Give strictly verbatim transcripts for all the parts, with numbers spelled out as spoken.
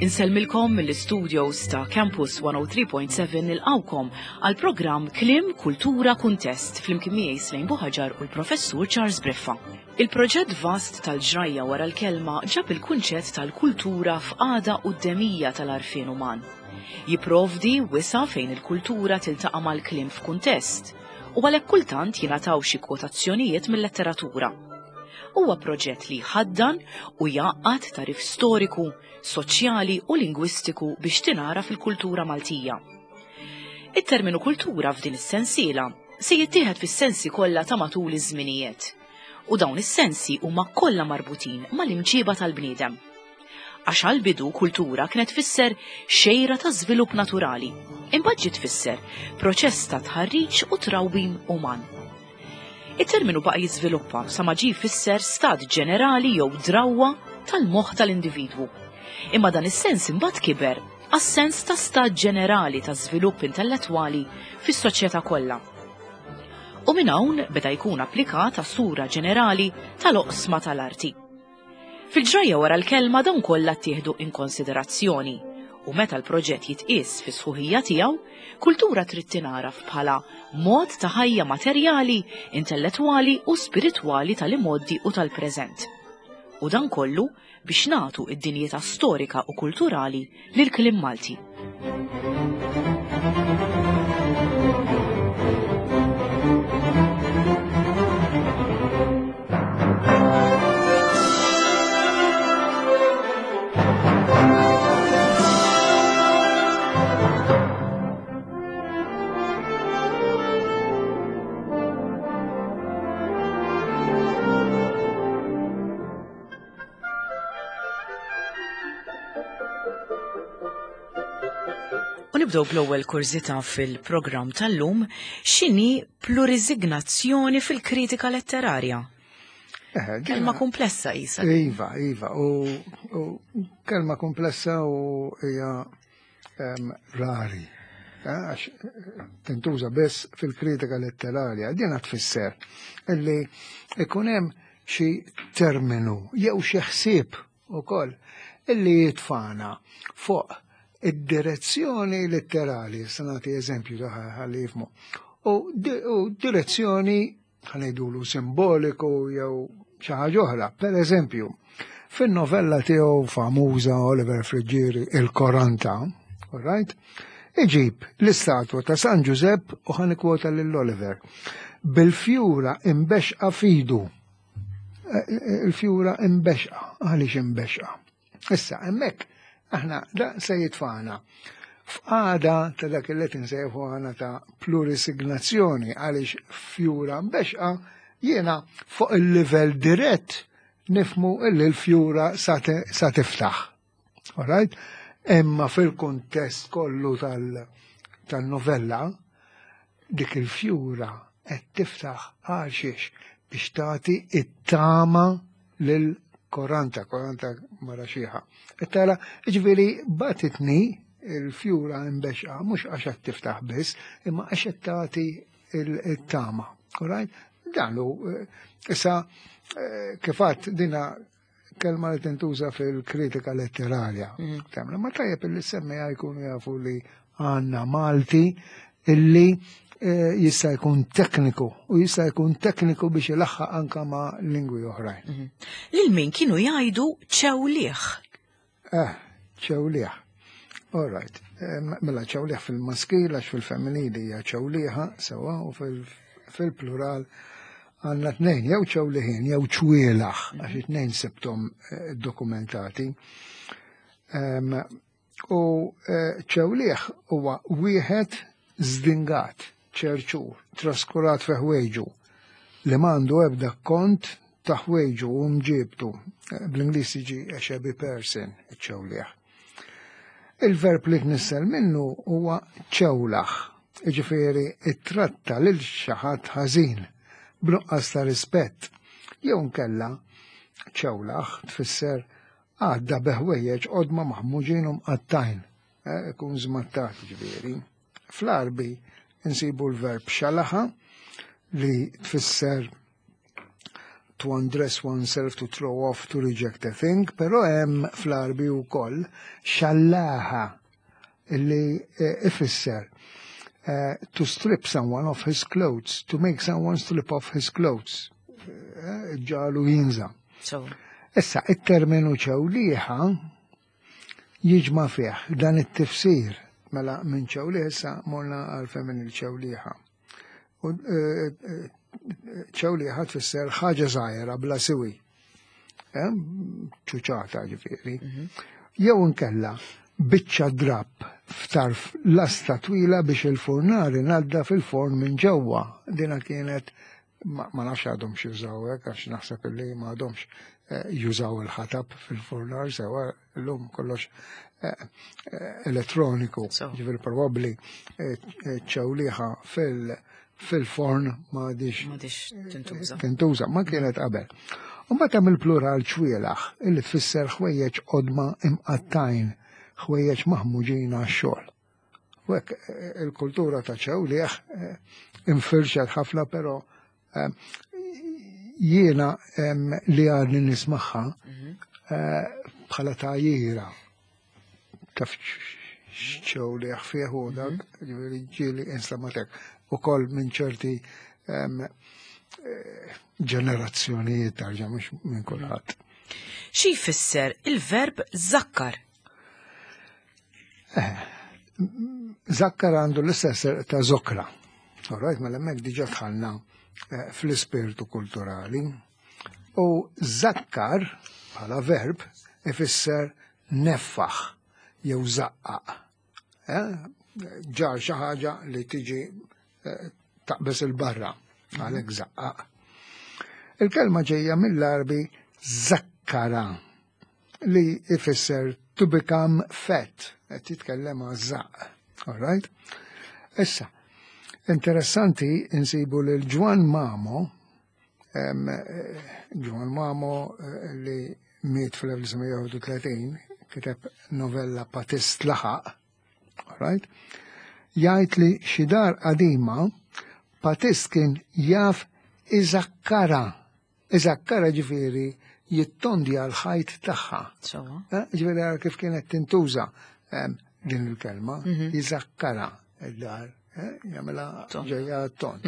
Insellmilkom mill-studios ta' Campus one oh three point seven, nilqgħukom għal programm Kliem, Kultura, Kuntest flimkien miegħi Slejn Buħaġar u l-Professur Charles Briffa. Il-proġett vast tal-ġrajja wara l-kelma ġab il-kunċett tal-kultura f'qagħda quddemija tal-għarfien uman. Jiprovdi wisa' fejn il-kultura tiltaqa' mal-kliem f'kuntest u għalhekk kultant jingħataw xi kwotazzjonijiet mill-letteratura. Huwa proġett li ħaddan u jgħaqqad tagħrif storiku, soċjali u lingwistiku biex tingħaraf il-kultura Maltija. It-terminu kultura f'din is-sensiela se jittieħed fis-sensi kollha ta' matul iż-żminijiet. U dawn is-sensi huma kollha marbutin mal-imġiba tal-bniedem. Għax għal-bidu kultura kienet tfisser xejra ta' żvilupp naturali, imbagħad ġiet tfisser proċess ta' tħarriġ u trawwim uman. Il-terminu baqa' jiżviluppa sa ma ġie jfisser stat ġenerali jew drawwa tal-moħħ tal-individwu. Imma dan is-sens imbagħad kiber għas-sens ta' stat ġenerali ta' żvilupp intellettwali fis-soċjetà kollha. U minn hawn beda jkun applikat għas-sura ġenerali tal-oqsma tal-arti. Fil-ġrajja wara l-kelma dawn kollha ttieħdu in konsiderazzjoni u meta l-proġett jitqies fi sħuħija tiegħu, kultura trid tingħaraf bħala mod ta' ħajja materjali, intellettwali u spiritwali tal-imgħoddi u tal-preżent. U dan kollu biex nagħtu id-dinjità storika u kulturali lil kliem Malti. U nibdew bl-ewwel kurżità fil-programm tal-lum: x'inhi plurisignazzjoni fil-kritika letterarja? Eh, Kelma komplessa isa. Iva, iva, u, u kelma komplessa u hija em, rari. Eh, Għax tintuża biss fil-kritika letterarja. Din tfisser illi ikun hemm xi terminu jew xi ħsieb ukoll illi jitfana fuq id-direzzjoni letterali, se nagħti eżempju ta' ħalli jifhmu, u, di, u direzzjoni, ħa ngħidulu, simboliku jew xi ħaġa oħra. Per eżempju, fin-novella tiegħu famuża Oliver Friggieri, Il-Koranta, all right? Iġib l-istatwa ta' San Giuseppe u ħa nikkwota lil Oliver bil-fjura imbexqa f'idu. Eh, eh, Il-fjura imbexqa, għaliex imbexqa? Issa, hemmhekk aħna da se jitfana f'qagħda ta' dak li nsejħu aħna ta' plurisignazzjoni, għaliex fjura mbexqa jiena fuq il-livell dirett nifhmu illi l-fjura sa te- sa tiftaħ. Alright? Imma fil-kuntest kollu tal- tal-novella dik il-fjura qed tiftaħ għal xiex? Biex tagħti it-tama lil Koranta, Koranta mara xiħa. Tara, ġifieri bagħtitni il-fjura imbexqa, mhux għax qed tiftaħ biss, imma għax qed tagħti il-tama. Alright? Dan hu, eh, issa, eh, kif għedt, dina kelma li tintuża fil-kritika letterarja. Temna, ma tajjeb illi semmija jkunu jafu li għandna Malti illi eh, jista' jkun tekniku u jista' jkun tekniku biex ilaħħaq anka ma' lingwi oħrajn. Lil min kienu jgħidu ċewliħ? Eh, ċewliħ. All right. Eh, Mela ċewliħ fil-maskil, għax fil-femminili hija ċewliħa, sewa, u fil- fil-plural għandna tnejn, jew ċewliħin, jew ċwielaħ, għax it-tnejn sibtom eh, dokumentati. Em, U eh, ċewliħ huwa wieħed zdingat, ċerċur, traskurat fi ħwejġu, li m'għandu ebda kont ta' ħwejġu u mġibtu. Eh, Bl-Ingliż jiġi a shabby person, ċewliħ. Il-verb li tnissel minnu huwa ċewlaħ, ġifieri ittratta lil xi ħadd ħażin, b'nuqqas ta' rispett. Jew nkella ċewlaħ tfisser għadda bi ħwejjeġ qodma maħmuġin u mqattajn, eh, ikun żmattat ġifieri. Fl-Arbi insibu l-verb xalaħa li tfisser to undress oneself, to throw off, to reject a thing, però hemm fl-Għarbi wkoll xallaha illi eh, ifisser eh, to strip someone of his clothes, to make someone strip off his clothes. Eh, Ġagħlu jinża'. So, Issa, it-terminu ċewliħa jiġma fih dan it-tifsir mela minn ċewliħ issa morna għal femminil ċewliħa. U eh, eh, ċewliħa tfisser ħaġa żgħira bla siwi. Eh, ċuċata ġifieri. Jew inkella biċċa drapp f'tarf lasta twila biex il-furnar inaddaf fil-forn minn ġewwa. Dina kienet ma, ma nafx għadhom jużaw hekk għax naħseb illi ma għadhomx eh, jużaw il-ħatab fil-furnar sewa llum kollox eh, eh, elettroniku. So. Ġifieri probabbli eh, eh, ċewliħa fil- fil-forn ma għadix m'għadhiex tintuża. tintuża, ma kienet qabel. U mbagħad hemm il-plural ċwielaħ illi tfisser ħwejjeġ qodma imqattajn, ħwejjeġ maħmuġin għax-xogħol. U hekk eh, il-kultura ta' ċewliħ eh, infirxet ħafna però eh, jiena em, li għadni nismagħha eh, bħala tgħajjira taf ċewliħ fih u dak, ġifieri ġieli instematek ukoll minn ċerti em, eh, ġenerazzjonijiet tarġa mhux minn kulħadd. Xi jfisser il-verb zakkar? Zakkar għandu l-istess ta' zokra. Alright, mela hemmhekk diġà dħalna eh, fl-ispirtu kulturali. U zakkar bħala verb ifisser neffaħ jew zaqqaq. Eh? Ġar xi ħaġa li tiġi eh, taqbeż il-barra, għalhekk zaqqaq. Il-kelma ġejja mill-Għarbi zakkara li ifisser to become fat, qed titkellem għaż-żaqq. All right? Issa, interessanti insibu lil Ġwan Mamo, em, eh, Ġwan Mamo eh, li miet fl-elf disa' mija u tletin, kiteb novella Patist Laħaq, all right? Jgħid li xi dar qadima Patist kien jaf iżakkara. Iżakkara ġifieri jittondja l-ħajt tagħha. So, Eh, Ġifieri għara kif kienet tintuża em, din il-kelma, jiżakkara id-dar, eh, jagħmilha Tond. ġejja tond.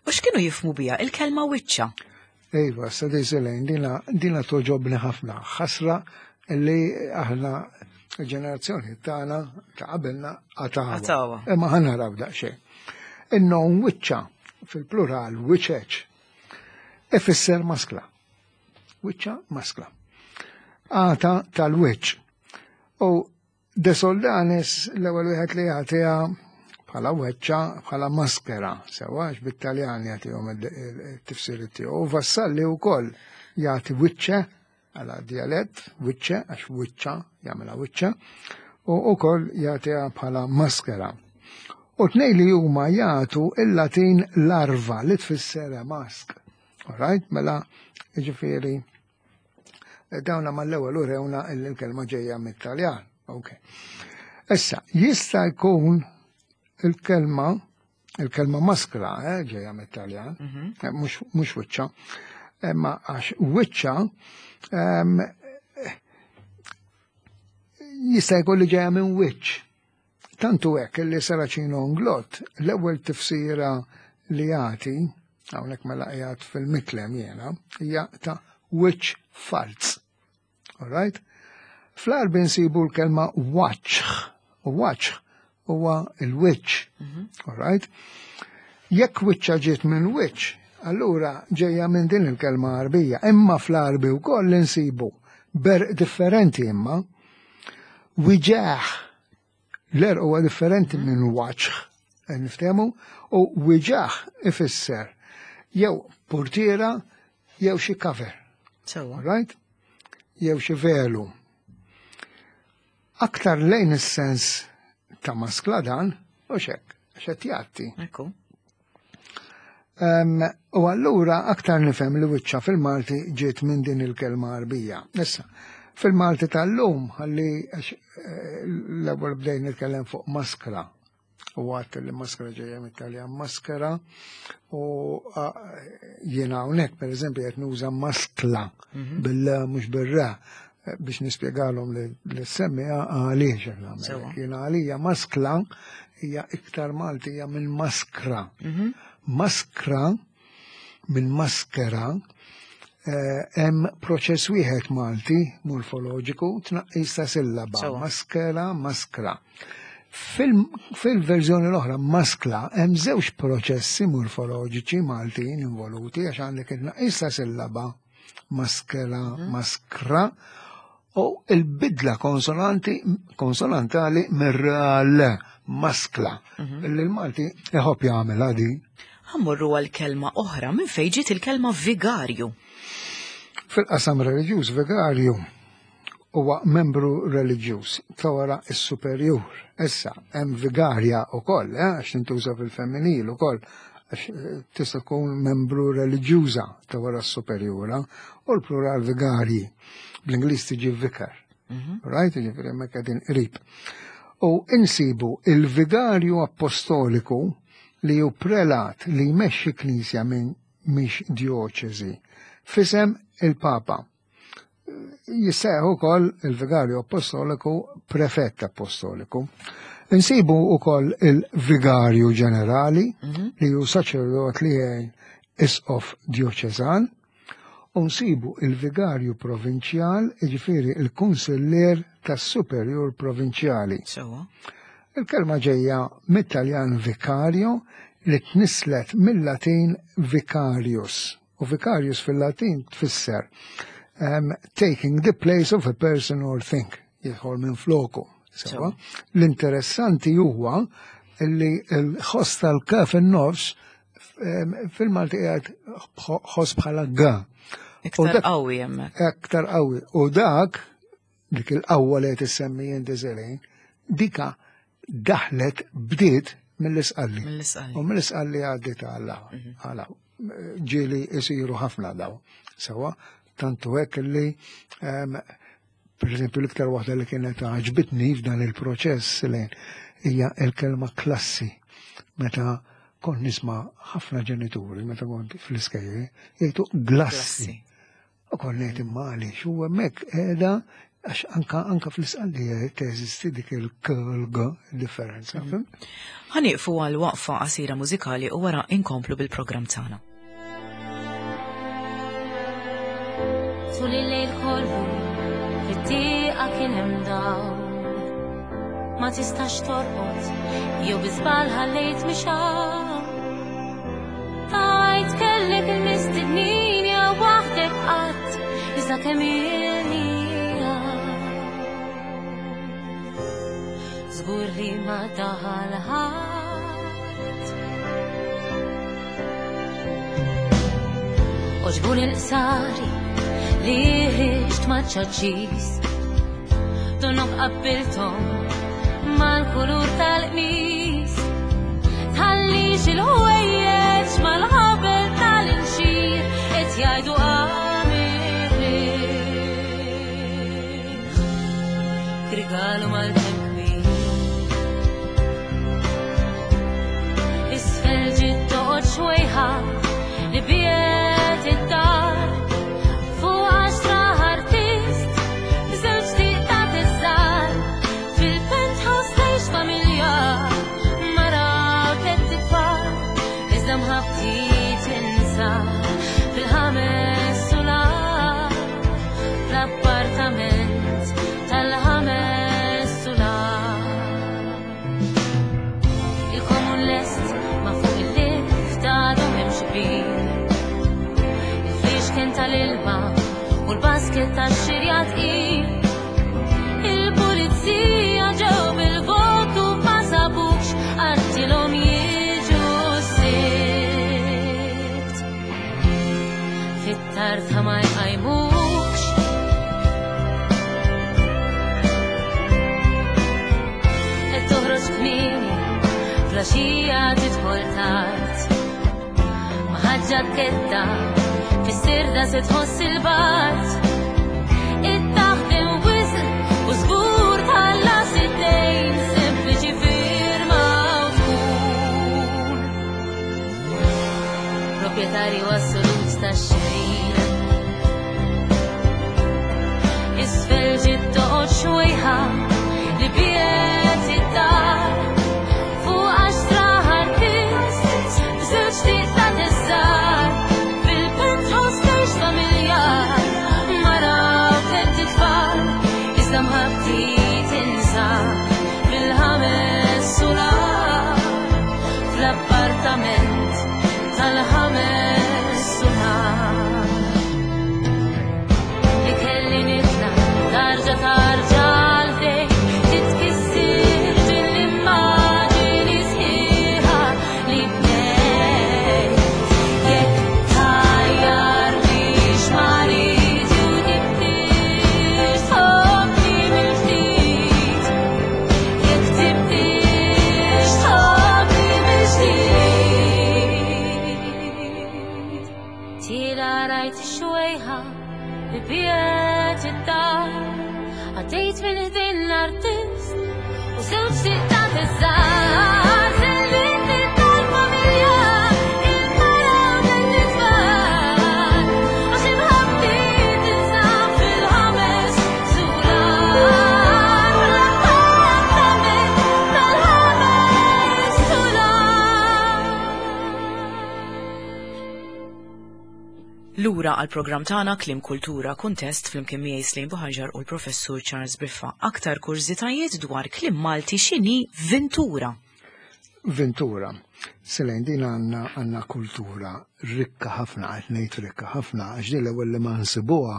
U x'kienu jifhmu biha il-kelma wiċċa? Iva, sa Lejn, dina, dina togħġobni ħafna. ħasra li aħna il-ġenerazzjoni tagħna ta' qabilna qatgħuha. Qatgħuha. Imma ħa naraw daqsxejn. In-nom wiċċa fil-plural wiċeċ ifisser maskla. Wiċċa maskla. Għata tal-wiċċ. U De Soldanis l-ewwel wieħed li jagħtiha bħala weċċa, bħala maskera, sewa għax bit-Taljan jagħtihom il-tifsir tiegħu. U Vassalli wkoll jagħti wiċċe għala dialett, wiċċe, għax wiċċa, jagħmilha wiċċa, u wkoll jagħtiha bħala maskera. U tnej li huma jagħtu il-Latin larva li tfisser mask. Alright, mela, ġifieri, dawna mal-ewwel urewna il-kelma ġejja mit-Taljan. Ok. Issa, jista' jkun il-kelma, il-kelma maskra, eh, ġejja mit-Taljan, eh, mhux mhux wiċċa, imma għax wiċċa em, jista' jkun li ġejja minn wiċċ. Tantu hekk li Serracino Inglott l-ewwel tifsira li jagħti, hawnhekk mela qiegħed fil-Miklem jiena, hija ta' wiċċ falz. All right? Fl-Għarbi nsibu l-kelma waċħ, u waċħ huwa il-wiċċ. All right? Jekk wiċċa ġiet minn wiċċ, allura ġejja minn din il-kelma Għarbija. Imma fl-Għarbi wkoll insibu berq differenti imma wiġaħ l-għerq huwa differenti minn waċħ, niftehmu, u wiġaħ ifisser jew portiera jew xi cover. Sewa. Right? Jew xi velu. Aktar lejn is-sens ta' maskla dan, u xek, xed jgħatti. Ekku. Um, u allura aktar nifhem li wiċċa fil-Malti ġiet minn din il-kelma Għarbija. Issa, fil-Malti tal-lum, ħalli għax, eh, l-ewwel bdejn nitkellem fuq maskra. U għat li maskra ġejja mit-Taljan maskera u jiena hawnhekk pereżempju qed nuża maskla bil mhux bir-ra biex nispjegalhom li semmija għaliex qed nagħmel. Jiena għalija maskla hija iktar Maltija minn maskra. Maskra minn maskera hemm proċess wieħed Malti morfoloġiku tnaqqis ta' sillaba. Maskera, maskra. Fil-verżjoni l-oħra maskla hemm żewġ proċessi morfoloġiċi Maltin involuti għax għandek it-tnaqqis ta' sillaba maskera, maskra u l-bidla konsonanti konsonantali mir-ra maskla. Illi l-Malti iħobb jagħmel di. Ħammorru għal kelma oħra minn fejn ġiet il-kelma vigarju. Fil-qasam reliġjuż vigarju huwa membru reliġjuż ta' wara s-superjur. Issa hemm vigarja wkoll, għax tintuża fil-femminil ukoll, għax tista' tkun membru reliġjuża ta' wara s-superjura u l-plural vigarji. Bl-Ingliż tiġi vicar. Right? Jiġifieri hemmhekk qegħdin qrib. U insibu il-vigarju apostoliku li hu prelat li jmexxi knisja minn mhix dioċesi fisem il-Papa. Jisseħ ukoll il-vigarju apostoliku prefett apostoliku. Insibu ukoll il-vigarju ġenerali li hu saċerdot li jgħin isqof dioċesan, u nsibu il-vigarju provinċjal, jiġifieri il-kunsillier tas-superjur provinċjali. Il-kelma ġejja mit-Taljan vicario li tnislet mill-Latin vicarius. U vicarius fil-Latin tfisser um, taking the place of a person or thing, jidħol minn floku. Sewa. L-interessanti huwa li l-ħoss tal-kaf in-nofs fil-Malti qiegħed ħoss bħala ga. Iktar qawwi hemmhekk. Iktar qawwi. U dak, dik il-qawwa li qed issemmi inti Selin, dika daħlet bdiet mill-Isqalli. Mill-Isqalli. U mill-Isqalli għaddiet għal ġieli isiru ħafna daw. Sewa, tantu hekk li per eżempju l-iktar waħda li kienet għaġbitni f'dan il-proċess li hija l-kelma klassi. Meta kont nisma' ħafna ġenituri, meta kont fl-iskejjel, jgħidu glassi. U kont ngħid imma għaliex u hemmhekk qiegħda għax anka anka fl-Isqalli teżisti dik il-k differenza. Ħanieqfu għal waqfa qasira mużikali u wara inkomplu bil-programm tagħna. Tul il-lejl kollu fit-tieqa kien hemm dawl. Ma tistax torqod jew bi żball ħallejt mixgħal. Tajt kellek il-mistednin jew waħdek qatt iżda kemm ilni żgur li ma daħal ħadd. Oġbuni l-qsari li ħriġt ma' ċaċċis, donok qabbilthom mal-kulur tal-qmis. Tħallix il-ħwejjeġ mal-ħabel tal-inxir qed jgħidu għamir rigalu mal-temp kbir. Isfel ġiet toqgħod xwejħa li biet id-dar fuq għaxra artist b'żewġ tieqtat iż-żgħar. Fil-penthouse tgħix familja mara u tliet itfal, iżda mħabbti tinsa fil-ħames sular, fl-appartament tal-ħames sular. Il-komun lest ma fuq il-lift għadu m'hemmx kbir. Il-fliexken tal-ilma u l-basket tax-xirja tqil. Il-pulizija ġew bil-votu ma sabux għattilhom jiġu s-sibt. Fit-tarta ma jqajmux. Qed toħroġ kmieni, flaxija tidħol tard. Ma ħadd ġaketta fis-sirda se tħoss il-bard. It-taħdem wisq u żgur tħallas id-dejn, sempliċi firma u tkun Proprjetarju assolut ta' xejn. Isfel ġiet toqgħod xwejħa li biet id-dar fuq għaxra artist b'żewġ titla tiżżar fil-penthouse tgħix familjar mara u tlett itfal iżda mħabbti tinsab fil-ħames sular fl-appartament tal-ħames sular li kelli nitla tarġa tarġa għalfejn titkissir din l-immaġini sħiħa li bnejt. Jekk tgħajjarnix mariti u tibdix tħobbni mill-ġdid. Jekk tibdix tħobbni mill-ġdid. Tila rajt xwejħa li biet id-dar għaddejt minn ħdejn l-artist u żewġ tittat iż-żgħar sellitni tal-familja il-mara u l-tfal għax imħabbti tinsab fil-ħames sular l-appartament tal-ħames sular. Lura għal programm tagħna Kliem Kultura Kuntest flimkien miegħi Slim Buħaġar u l-Professur Charles Briffa. Aktar kurżitajiet dwar kliem Malti x'inhi ventura. Ventura. Selejn din għandna għandna kultura rikka ħafna, qed ngħid rikka ħafna, għax din l-ewwel li ma nsibuha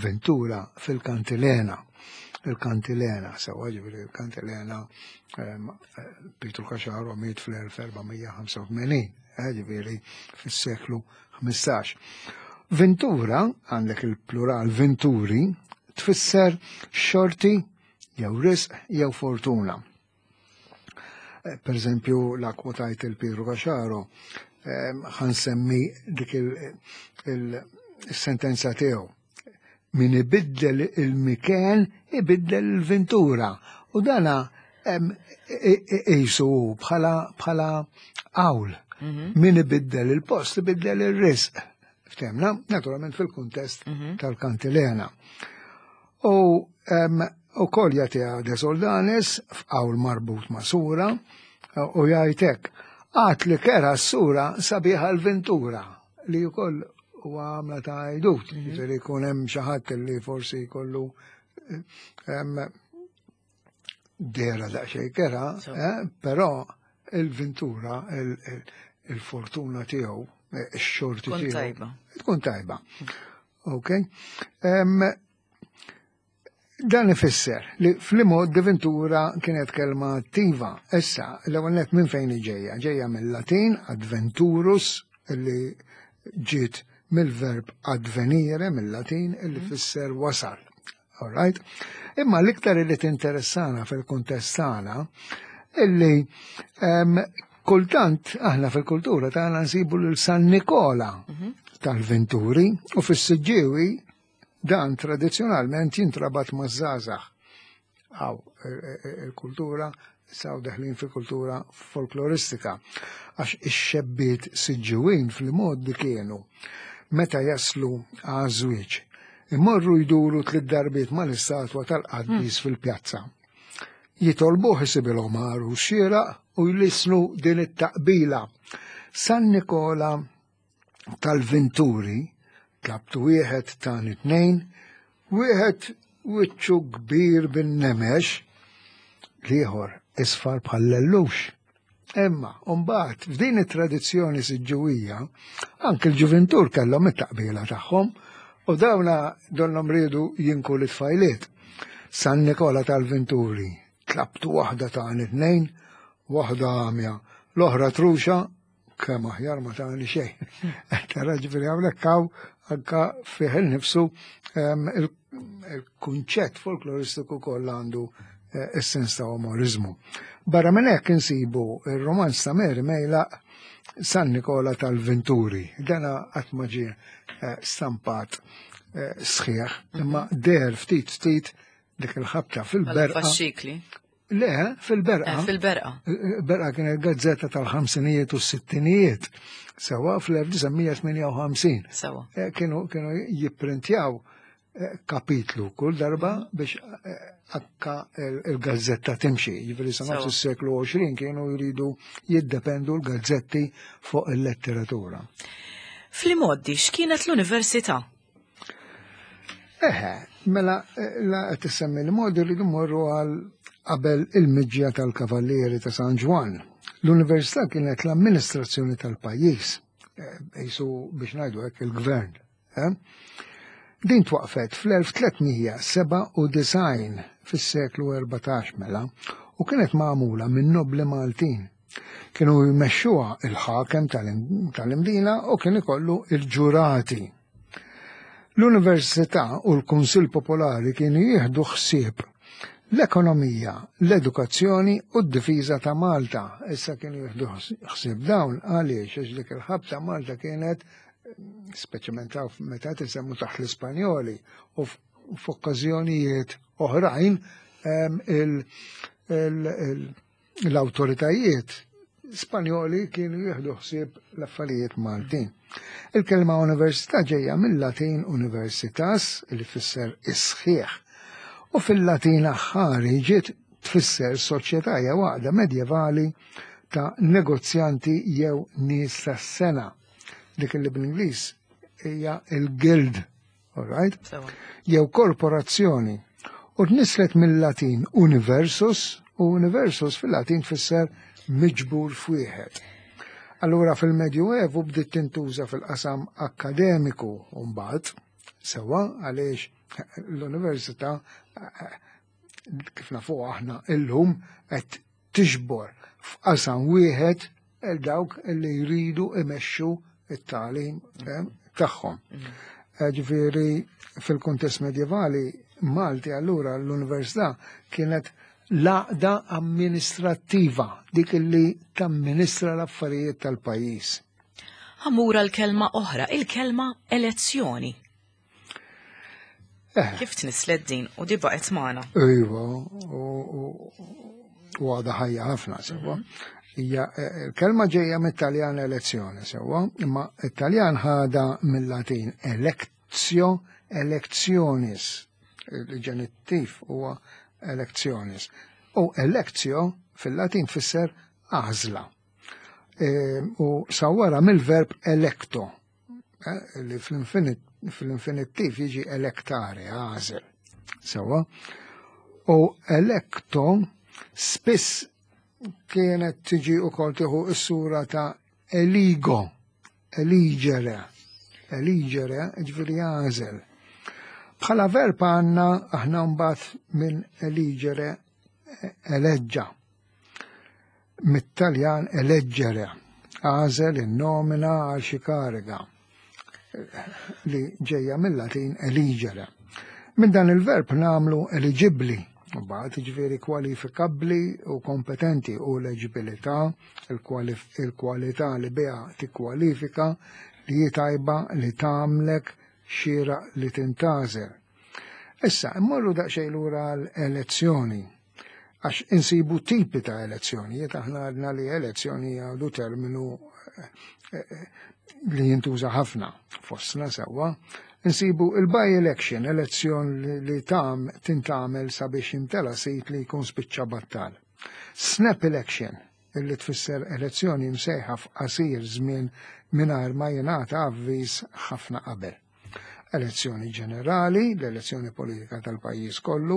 ventura fil-kantilena. Il-kantilena, sewwa ġifieri il-kantilena ehm, eh, Pietru Caxaro miet fl-elf erba' mija ħamsa u tmenin, eh, ġifieri fis-seklu ħmistax. Ventura, għandek il-plural venturi, tfisser xorti jew risq jew fortuna. Eh, Per eżempju, la kwotajt il-Pietru Caxaro, ħa nsemmi dik il-sentenza tiegħu. Min ibiddel il-miken, ibiddel il-ventura. U dana qisu bħala bħala qawl. Min ibiddel il-post, ibiddel il-risq. Ftemna, naturalment fil-kuntest tal-kantilena. U u kol jagħtiha De Soldanis f'qawl marbut ma' sura u jgħidlek għad li kerha s-sura sabiħa l-ventura li wkoll huwa għamla ta' għajdut, ġifieri jkun hemm xi ħadd li forsi jkollu em, dehra daqsxejn kerha, eh, però il-ventura, il- il- il-fortuna tiegħu, eh, ix-xorti Tkun tiegħu. tajba. Tkun tajba. Ok. Em, Dan ifisser li fl-imgħoddi ventura kienet kelma attiva. Issa, l-ewwel nett minn fejn ġejja? Ġejja mill-Latin adventurus li ġiet mill-verb advenire mill-Latin illi fisser wasal. All right? Imma l-iktar li tinteressana fil-kuntest tagħna illi em, kultant aħna fil-kultura tagħna nsibu lil San Nikola tal-Venturi u fis-Siġġiewi dan tradizzjonalment jintrabat maż-żgħażagħ. Għaw, il-kultura, saw deħlin fil-kultura folkloristika. Għax ix-xebbiet Siġġiwin fl-imgħoddi kienu meta jaslu għaż-żwieġ, imorru jduru tliet darbiet mal-istatwa tal-qaddis fil-pjazza. Jitolbuh isibilhom għarus xieraq u jlissnu din it-taqbila. San Nikola tal-Venturi, tlabtu wieħed tani tnejn, wieħed wiċċu kbir bin-nemex, l-ieħor isfar bħal-lellux. Imma, mbagħad f'din it-tradizzjoni Siġġiwija, anke l-ġuventur kellhom it-taqbila tagħhom u dawna donnhom riedu jinku l-tfajliet. San Nikola tal-Venturi, tlabtu waħda tani tnejn, waħda għamja, l-oħra truxa, kemm aħjar ma tani xejn. Tara ġifieri hawnhekk hawn anka fih innifsu em, il- il-kunċett folkloristiku kollha għandu eh, is-sens ta' umorizmu. Barra minn hekk insibu il-romanz ta' Mary Mejlaq San Nikola tal-Venturi. Dana qatt ma ġie eh, stampat eh, sħiħ, imma der ftit ftit dik il-ħabta Bħala fil-berqa. faxxikli. Le, fil-Berqa. Eh, fil-Berqa. Berqa kienet gazzetta tal-ħamsinijiet u s-sittinijiet. Sewa fl-elf disa' mija tmienja u ħamsin. Sewa. Eh, Kienu kienu jipprintjaw eh, kapitlu kull darba biex eh, akka il-gazzetta timxi. Jiġifieri sa nofs Sewa. is-seklu għoxrin kienu jridu jiddependu l-gazzetti fuq il-letteratura. Fl-imgħoddi, x'kienet l-università? Eħe, mela eh, la qed tissemmi l-modi, rridu mmorru għal qabel il-miġja tal-Kavallieri ta' San Ġwann. L-università kienet l-amministrazzjoni tal-pajjiż, eh, jisu biex ngħidu hekk il-gvern. eh? Din twaqfet fl-elf tliet mija sebgħa u disgħin, fis-seklu erbatax mela, u kienet magħmula minn nobli Maltin. Kienu jmexxuha il-ħakem tal-Imdina u kien ikollu il-ġurati. L-Università u l-Kunsill Popolari kienu jieħdu ħsieb l-ekonomija, l-edukazzjoni u d-difiża ta' Malta. Issa kienu jieħdu ħsieb dawn għaliex? Għax dik il-ħabta Malta kienet, speċjalment meta tisemmu taħt l-Ispanjoli u f'okkażjonijiet oħrajn, l-awtoritajiet Spanjoli kienu jieħdu ħsieb l-affarijiet Maltin. Il-kelma università ġejja mill-Latin universitas, li fisser is-sħiħ. U fil-Latin aħħari ġiet tfisser soċjetà jew għaqda medjevali ta' negozjanti jew nies tas-sengħa. Dik li bl-Ingliż hija il-guild, all right? Jew korporazzjoni. U tnislet mill-Latin universus, u universus fil-Latin tfisser miġbur f'wieħed. Allura fil-Medjuevu bdiet tintuża fil-qasam akademiku mbagħad, sewa għaliex l-università, kif nafu aħna illum, qed tiġbor f'qasam wieħed il dawk li jridu imexxu it-tagħlim tagħhom. Ġifieri fil-kuntest medjevali Malti allura l-università kienet l-għaqda amministrattiva, dik li tamministra l-affarijiet tal-pajjiż. Ħa mmur l-kelma oħra, il-kelma elezzjoni. Eh. Kif tnislet din u di baqgħet magħna? Iva, u għadha ħajja ħafna, sewa. Hija eh, il-kelma ġejja mit-Taljan elezzjoni, sewa, imma it-Taljan ħada mill-Latin electio electionis. Il-ġenittiv huwa electionis. U electio fil-Latin tfisser għażla. E, u sawwara mill-verb electo, eh, li fl-infinittiv jiġi electare, għażel. Sewa. U electo spiss kienet tiġi u kol tieħu s-sura ta' eligo, eligere, eligere, ġifieri għażel. Bħala verb għandna aħna mbagħad minn eligere eleġġa. Mit-Taljan eleggere, għażel, innomina għal xi kariga li ġejja mill-Latin eligere. Minn dan il-verb nagħmlu eligibli, mbagħad ġifieri kwalifikabbli u kompetenti, u l-eġibilità, il-kwalità li biha tikkwalifika, li hi tajba, li tagħmlek xira li tintgħażel. Issa, immorru daqsxejn lura l-elezzjoni, għax insibu tipi ta' elezzjoni, aħna għadna li elezzjoni għadu terminu eh, eh, li jintuża ħafna fostna, sewwa. Insibu il-by election, elezzjon li tam tintgħamel sabiex jimtela sit li jkun spiċċa battal. Snap election, illi tfisser elezzjoni msejħa f'qasir żmien mingħajr ma jingħata avviż ħafna qabel. Elezzjoni ġenerali, l-elezzjoni politika tal-pajjiż kollu,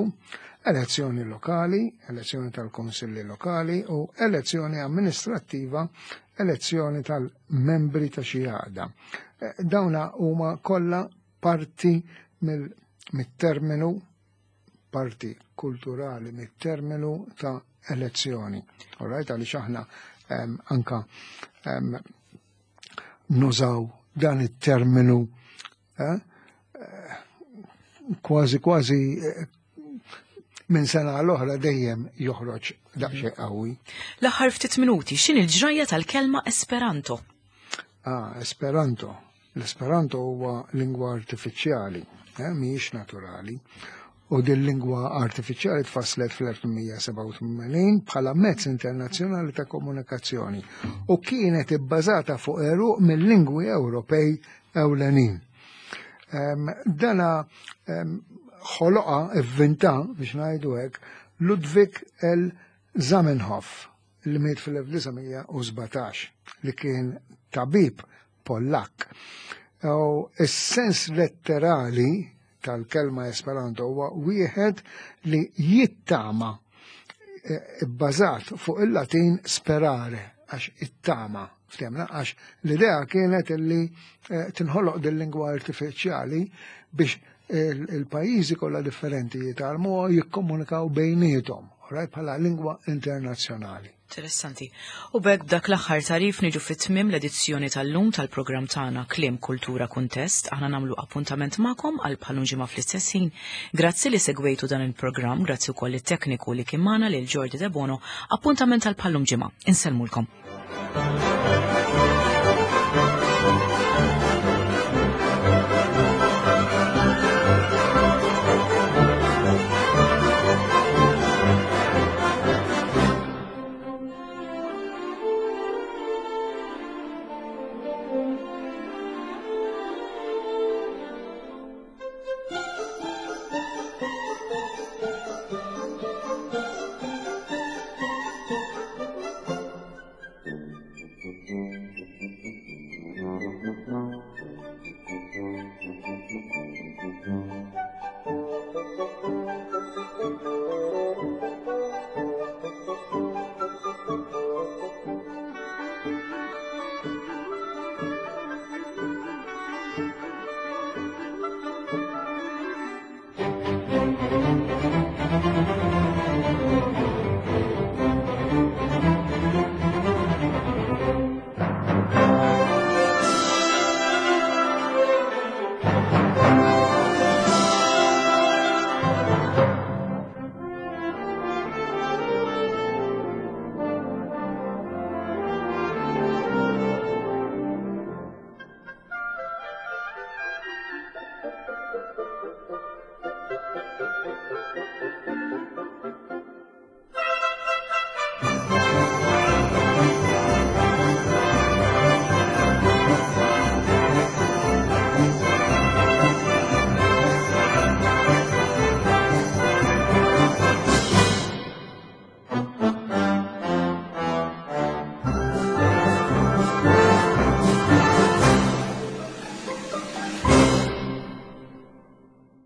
elezzjoni lokali, elezzjoni tal-konsilli lokali u elezzjoni amministrattiva, elezzjoni tal-membri ta' xi għaqda. Eh, dawna huma kollha parti mit-terminu, parti kulturali mit-terminu ta' elezzjoni. All right, għaliex aħna um, anka um, nużaw dan it-terminu eh, kważi kważi eh, minn sena l-oħra dejjem joħroġ daqsxejn qawwi. L-aħħar ftit minuti, x'inhi l-ġrajja tal-kelma Esperanto? Ah, Esperanto. L-Esperanto huwa lingwa artifiċjali, eh, mhijiex naturali. U din lingwa artifiċjali tfasslet fl-elf tmien mija sebgħa u tmenin bħala mezz internazzjonali ta' komunikazzjoni u kienet ibbażata fuq għeruq mill-lingwi Ewropej ewlenin. Um, dana um, ħoloqa, ivvinta biex ngħidu hekk, Ludwig L. Zamenhof, li miet fil-elf disa' mija u sbatax, li kien tabib Pollak. U is-sens letterali tal-kelma Esperanto huwa wieħed li jittama, eh, bbażat fuq il-Latin sperare, għax it-tama, ftemna, għax l-idea kienet li eh, tinħoloq din lingwa artifiċjali biex il-pajjiżi kollha differenti jitgħallmu jikkomunikaw bejniethom, right, bħala lingwa internazzjonali. Interessanti. U b'hekk, b'dak l-aħħar tagħrif, niġu fit-tmim l-edizzjoni tal-lum tal-programm tagħna Kliem, Kultura, Kuntest. Aħna nagħmlu appuntament magħkom għal bħal-lum ġimgħa fl-istess ħin. Grazzi li segwejtu dan il-programm, grazzi wkoll it-tekniku li kien magħna, lil Jordi De Bono. Appuntament għal bħal-lum ġimgħa. Insellmulkom.